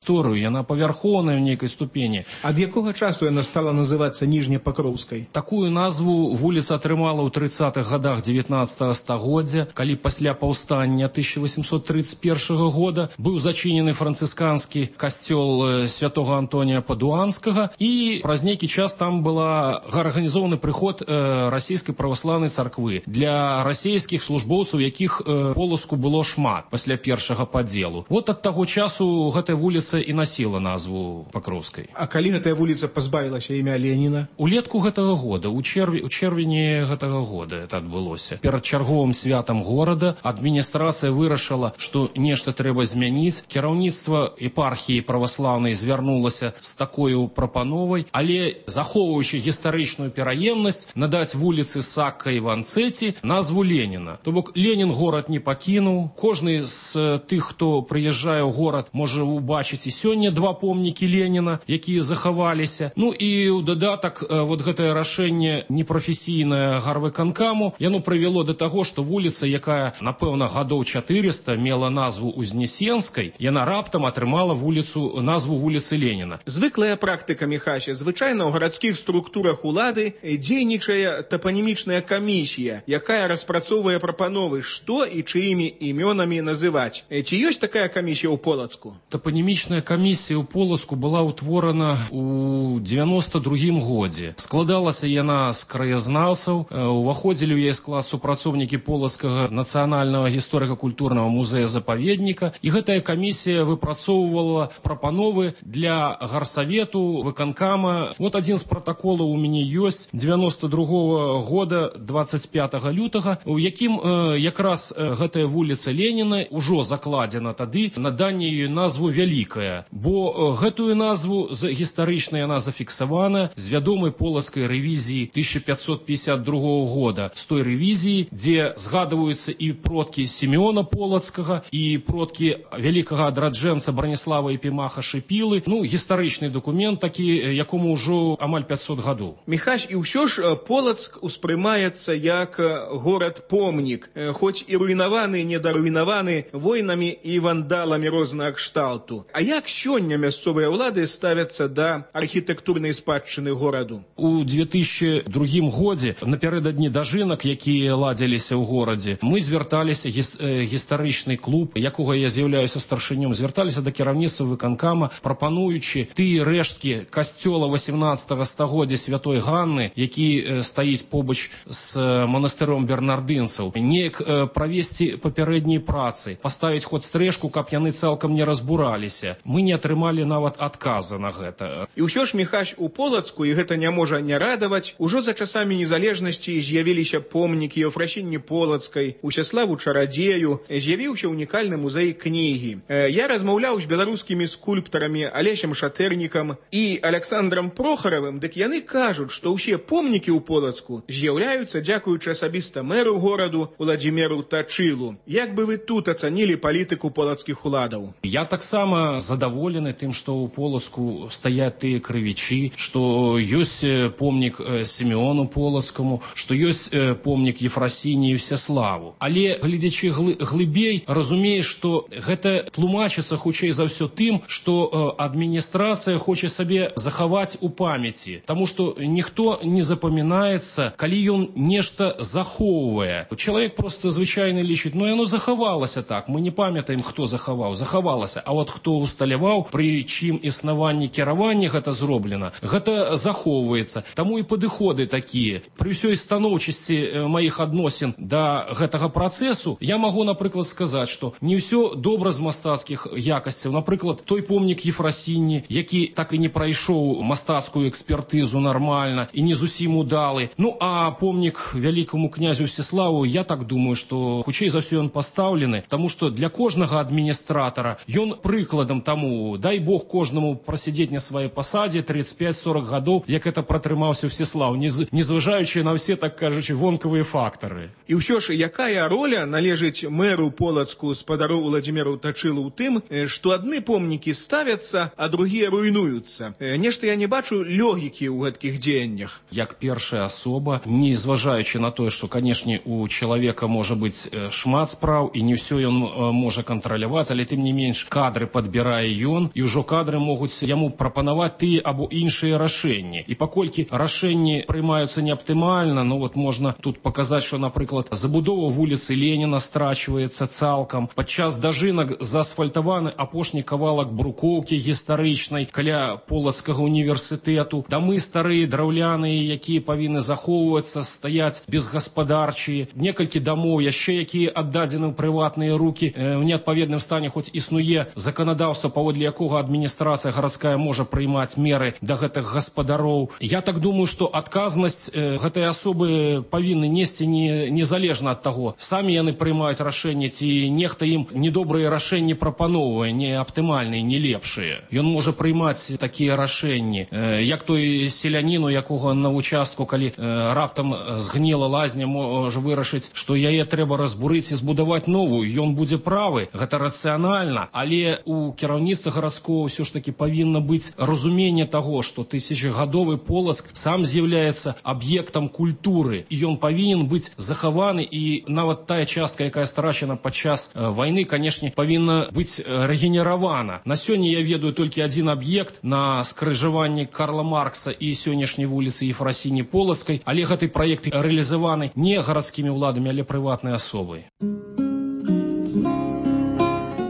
гісторыю, яна павярхоўная ў нейкай ступені. Ад якога часу яна стала называцца Ніжнепакроўскай? Такую назву вуліца атрымала ў 30-х годах 19-го стагоддзя, калі пасля паўстання 1831 года быў зачынены францысканскі касцёл святого Антонія Падуанскага, і праз нейкі час там была арганізованы прыход расійскай праваслаўнай царквы для расійскіх службоўцаў, якіх Полацку было шмат пасля першага падзелу. Вот ад таго часу гэтая вуліца і насіла назву Пакроўскай. А калі гэтая вуліца пазбавілася імя Леніна? Улетку гэтага года, у чэрвені гэтага года это адбылося. Перад чарговым святам горада адміністрацыя вырашыла, што нешта трэба змяніць. Кіраўніцтва епархіі праваслаўнай звярнулася з такою прапановай, але захоўваючы гістарычную пераемнасць, надаць вуліцы Сакка і Ванцэці назву Леніна. То бок Ленін горад не пакінуў. Кожны з тых, хто прыязджае ў горад, можа убачыць і сёння два помнікі Леніна, якія захаваліся. Ну і ў дадатак вот гэтае рашэнне непрафесійнае гарвыканкаму, яно прывяло да таго, што вуліца, якая, напэўна, гадоў 400 мела назву Узнесенскай, яна раптам атрымала назву вуліцы Леніна. Звыклая практыка, Міхася, звычайна ў гарадскіх структурах улады дзейнічае тапанімічная камісія, якая распрацоўвае прапановы, што і чыімі імёнамі называць. Ці ёсць такая камісія ў Полацку? Тапанімічная камісія ў Полацку была ўтворана ў 92-м годзе. Складалася яна з краязнаўцаў, уваходзілі ў яе склад супрацоўнікі Полацкага нацыянальнага гісторыка-культурнага музея-запаведніка, і гэтая камісія выпрацоўвала прапановы для гарсавету, выканкама. Вот адзін з протаколаў у мяне ёсць 92-го года 25 лютага, у якім якраз гэтая вуліца Леніна ўжо закладзена тады наданне ёй назву Вялікая, бо гэтую назву гістарычна яна зафіксавана з вядомай полацкай рэвізіі 1552 года, з той рэвізіі, дзе згадваюцца і продкі Сімеона Полацкага, і продкі вялікага адраджэнца Браніслава Епімаха Шыпілы. Ну, гістарычны дакумент такі, якому ўжо амаль 500 гадоў. Міхась, і ўсё ж Полацк успрымаецца як горад-помнік, хоць і руйнаваны, недаруйнаваны войнамі і вандаламі рознага кшталту. А як сёння мясцовыя ўлады ставяцца да архітэктурнай спадчыны гораду? У 2002 годзе, напярэдадні дажынак, якія ладзіліся ў горадзе, мы звярталіся, гістарычны клуб, якога я з'яўляюся старшынём, звярталіся да кіраўніцтва выканкама, прапануючы тыя рэшткі касцёла 18 стагоддзя Святой Ганны, які стаіць побач з манастыром бернардынцаў, неяк правесці папярэднія працы, паставіць хоць стрэшку, каб яны цалкам не разбураліся. Мы не атрымалі нават адказа на гэта. І ўсё ж, Міхась, у Полацку, і гэта не можа не радаваць, ужо за часамі незалежнасці з'явіліся помнікі Еўфрасіні Полацкай, Усяславу Чарадзею, з'явіўся унікальны музей кнігі. Я размаўляў з беларускімі скульптарамі Алесем Шатэрнікам і Александрам Прохаравым, дык яны кажуць, што ўсе помнікі ў Полацку з'яўляюцца дзякуючы асабіста мэру гораду Уладзіміру Тачылу. Як бы вы тут ацанілі палітыку полацкіх уладаў? Я таксама задаволены тым, што ў Полацку стаяць тыя крывічы, што ёсць помнік Сімеону Полацкаму, што ёсць помнік Ефрасіні і Всеславу. Але, глядзячы глыбей, разумееш, што гэта тлумачыцца хутчэй за ўсё тым, што адміністрацыя хоча сабе захаваць у памяці. Таму што ніхто не запамінаецца, калі ён нешта захоўвае. Чалавек проста звычайна лічыць, ну яно захавалася так, мы не памятаем, хто захаваў, захавалася. А от хто усталяваў, пры чым існаванні кіравання гэта зроблена, гэта захоўваецца. Таму і падыходы такія. Пры ўсёй станоўчасці маіх адносін да гэтага працэсу, я магу, напрыклад, сказаць, што не ўсё добра з мастацкіх якасцяў. Напрыклад, той помнік Ефрасіні, які так і не прайшоў мастацкую экспертызу нармальна і не зусім удалы. Ну, а помнік вялікаму князю Всеславу, я так думаю, што хутчэй за ўсё ён пастаўлены, таму што для кожнага адміністратара ён прыкладам таму, дай Бог кожнаму прасядзець на сваёй пасадзе 35-40 гадоў, як это пратрымаўся Всеслав, незважаючы на ўсе, так кажучы, вонкавыя фактары. І ўсё ж, якая роля належыць мэру Полацку спадару Уладзіміру Тачылу ў тым, што адны помнікі ставяцца, а другія руйнуюцца? Нешта я не бачу логікі ў гэткіх дзеяннях. Як першая асоба, не зважаючы на тое, што, канешне, у чалавека можа быць шмат спраў, і не ўсё ён можа кантраляваць, але тым не менш кадры падбіраць выбірае ён, і ўжо кадры могуць яму прапанаваць тыя або іншыя рашэнні. І паколькі рашэнні прымаюцца неаптымальна, ну вот можна тут паказаць, што, напрыклад, забудова вуліцы Леніна страчваецца цалкам. Падчас дажынак заасфальтаваны апошні кавалак брукоўкі гістарычнай каля Полацкага універсітэту. Дамы старыя, драўляныя, якія павінны захоўвацца, стаяць безгаспадарчыя. Некалькі дамоў яшчэ, якія аддадзены ў прыватныя рукі, у неадпаведным стане, хоць існуе заканадаўства, паводле якога адміністрацыя гарадская можа прыймаць меры да гэтых гаспадароў. Я так думаю, што адказнасць гэтай асобы павінны несці незалежна ад таго, самі яны прымаюць рашэнне, ці нехта ім недобрыя рашэнні прапаноўвае, не аптымальныя, не лепшыя. Ён можа прыймаць такія рашэнні, як той селянін, у якога на участку, калі раптам згніла лазня, можа вырашыць, што яе трэба разбурыць і збудаваць новую. Ён будзе правы, гэта рацыянальна, але у кіраўніцтва гарадскога ўсё ж таки павінна быць разуменне таго, што тысячагадовы Полацк сам з'яўляецца аб'ектам культуры, і ён павінен быць захаваны, і нават тая частка, якая страчана падчас вайны, канешне, павінна быць рэгенеравана. На сёння я ведаю толькі адзін аб'ект на скрыжаванні Карла Маркса і сённяшняй вуліцы Ефрасіні Полацкай, але гэты праект рэалізаваны не гарадскімі ўладамі, але прыватнай асобай.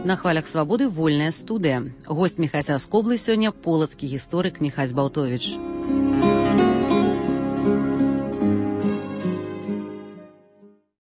На хвалях свабоды вольная студыя. Госць Міхася з Коблы сёння полацкі гісторык Міхась Балтовіч.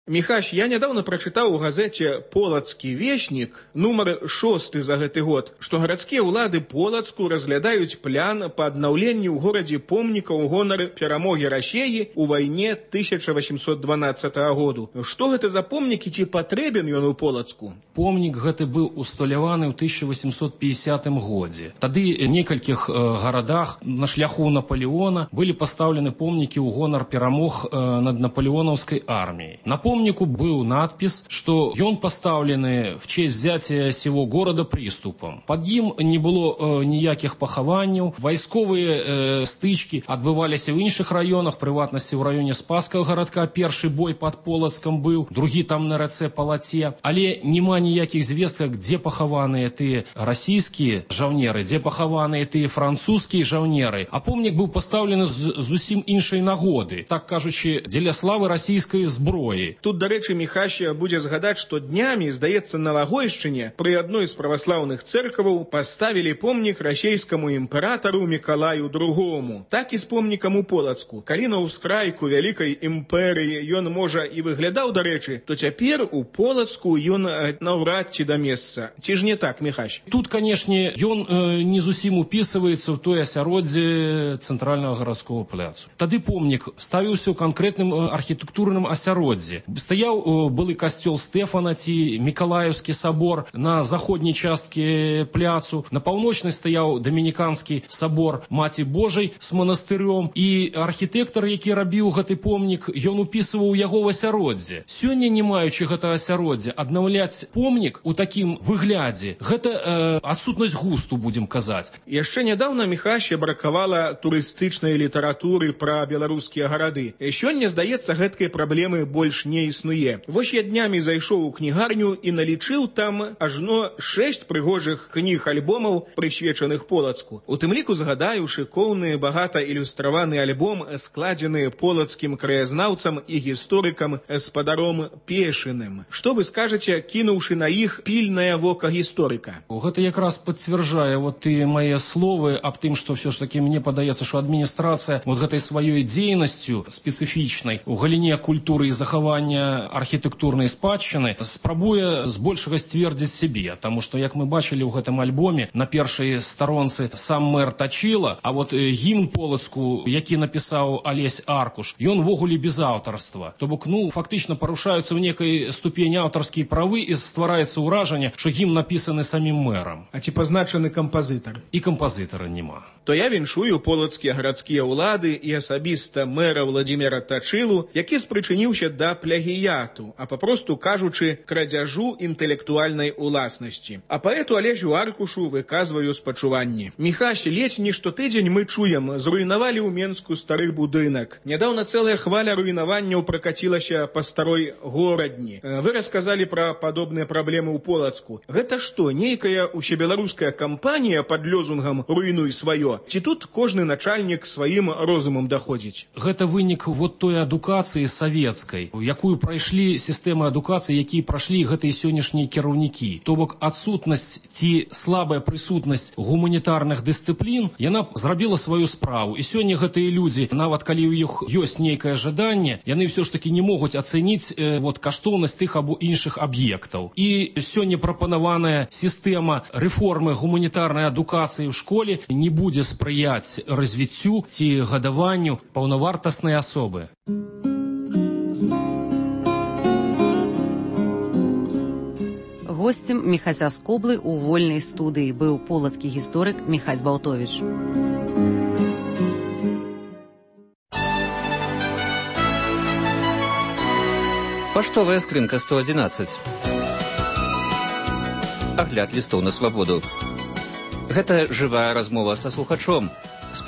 Міхась, я нядаўна прачытаў у газеце «Полацкі веснік», нумар 6 за гэты год, што гарадскія ўлады Полацку разглядаюць план па аднаўленні ў горадзе помніка ў гонар перамогі Расеі ў вайне 1812 году. Што гэта за помнік і ці патрэбен ён у Полацку? Помнік гэты быў усталяваны ў 1850 годзе. Тады ў некалькіх гарадах на шляху Наполеона былі пастаўлены помнікі ў гонар перамог над наполеонаўскай арміяй. На помнику был надпись, что он поставлены в честь взятия сего города приступом. Под ним не было ніяких пахаванняў, вайсковыя стычкі адбываліся ў іншых раёнах, прыватнасці ў раёне Спасскага гарадка. Першы бой под Полацкам быў, другі там на рацэ Палаце. Але няма ніякіх звестак, дзе пахаваныя тыя расійскія жаўнеры, дзе пахаваныя тыя французскія жаўнеры. А помнік быў пастаўлены з зусім іншай нагоды, так кажучы, дзеля славы расійскай зброі. Тут, дарэчы, Міхась будзе згадаць, што днямі, здаецца, на Лагойшчыне пры адной з праваслаўных цэркваў паставілі помнік расійскаму імператару Мікалаю II. Так і з помнікам у Полацку. Калі на ўскрайку вялікай імперыі ён, можа, і выглядаў, дарэчы, то цяпер у Полацку ён наўрад ці да месца. Ці ж не так, Міхась? Тут, канешне, ён не зусім упісваецца ў тое асяроддзе цэнтральнага гарадскога пляцу. Тады помнік ставіўся ў канкрэтным архітэктурным асяроддзі. Стаяў былы касцёл Стэфана ці Мікалаеўскі сабор на заходняй часткі пляцу. На паўночнай стаяў дамініканскі сабор Маці Божай з манастырём. І архітэктар, які рабіў гэты помнік, ён упісваў яго ў асяроддзе. Сёння, не маючы гэтага асяроддзя, аднаўляць помнік у такім выглядзе, гэта адсутнасць густу, будзем казаць. Яшчэ нядаўна Міхась бракавала турыстычнай літаратуры пра беларускія гарады. Сёння, здаецца, гэткай праблемы больш не існуе. Вось я днямі зайшоў у кнігарню і налічыў там ажно 6 прыгожых кніг-альбомаў, прысвечаных Полацку. У тым ліку згадаю шыкоўны, багата ілюстраваны альбом, складзены полацкім краязнаўцам і гісторыкам спадаром Пешыным. Што вы скажаце, кінуўшы на іх пільнае вока гісторыка? Гэта якраз пацвярджае вот тыя мае словы аб тым, што ўсё ж такі мне падаецца, што адміністрацыя вот гэтай сваёй дзейнасцю спецыфічнай у галіне культуры і захавання архітэктурнай спадчыны спрабуе збольшага сцвердзіць сябе, таму што, як мы бачылі ў гэтым альбоме, на першай старонцы сам мэр Тачыла, а вот гімн Полацку, які напісаў Алесь Аркуш, ён ввогуле без аўтарства. То бок, фактычна парушаюцца ў некай ступені аўтарскія правы і ствараецца ўражанне, што гімн напісаны самім мэрам. А ці пазначаны кампазітар? І кампазітара няма. то я віншую полацкія гарадскія ўлады і асабіста мэра Владзіміра Тачылу, які спрычыніўся да плагіяту, а папросту кажучы, крадзяжу інтэлектуальнай уласнасці. А паэту Алесю Аркушу выказваю спачуванні. Міхась, ледзь не штотыдзень мы чуем, зруйнавалі ў Менску стары будынак. Нядаўна цэлая хваля руйнаванняў пракацілася па старой горадні. Вы расказалі пра падобныя праблемы ў Полацку. Гэта што, нейкая усебеларуская кампанія пад лёзунгам «руйнуй сваё»? Ці тут кожны начальнік сваім розумам даходзіць? Гэта вынік вот той адукацыі савецкай, якую прайшлі сістэмы адукацыі, якія прашлі гэтыя сённяшнія кіраўнікі. То бок адсутнасць ці слабая прысутнасць гуманітарных дысцыплін, яна зрабіла сваю справу. І сёння гэтыя людзі, нават калі ў іх ёсць нейкае жаданне, яны ўсё ж такі не могуць ацэніць каштоўнасць тых або іншых аб'ектаў. І сёння прапанаваная сістэма рэформы гуманітарнай адукацыі ў школе не будзе спрыяць развіццю ці гадаванню паўнавартаснай асобы. Госцем Міхася з Коблы ў вольнай студыі быў полацкі гісторык Міхась Балтовіч. Паштовая скрынка 111. Агляд лістоў на свабоду. Гэта жывая размова са слухачом.